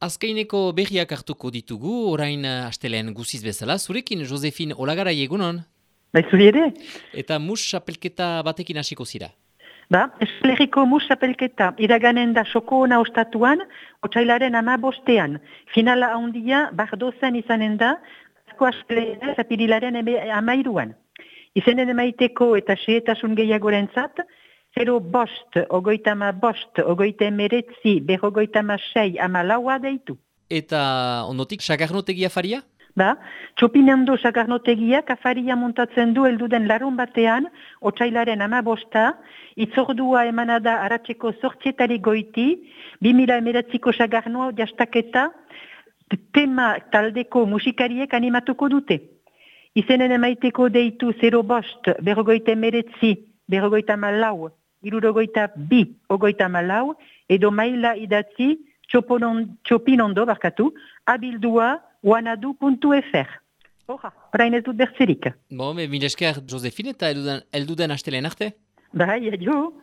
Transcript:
Azkaineko berriak hartuko ditugu, orain astelean guziz bezala, zurekin Josefin Olagarai egunon? Bai, zuri ere? Eta mus apelketa batekin hasiko zira. Eskualeriko mus apelketa iraganen da soko ona ostatuan, otsailaren 15ean. Finala handia, Bardozen izanen da, asko astelena apirilaren 13an. Izenen emaiteko eta xehetasun gehiagorentzat, 05, 55, 59, 56, 14 deitu. Eta ondotik sagarnotegia faria? Txopinando sagarnotegiak afaria montatzen du helduden larun batean, otsailaren 15, itzordua emanada aratzeko 8 goiti, 2019ko sagarnoa jastaketa tema taldeko musikariek animatuko dute. Izenen emaiteko deitu 05, 59, 54, 62, edo maila idatzi txopinondo abildua wanadu.fr. Orain ez dut bertzerik. Mil esker Josefin eta elduden astelean arte? Bai, adio.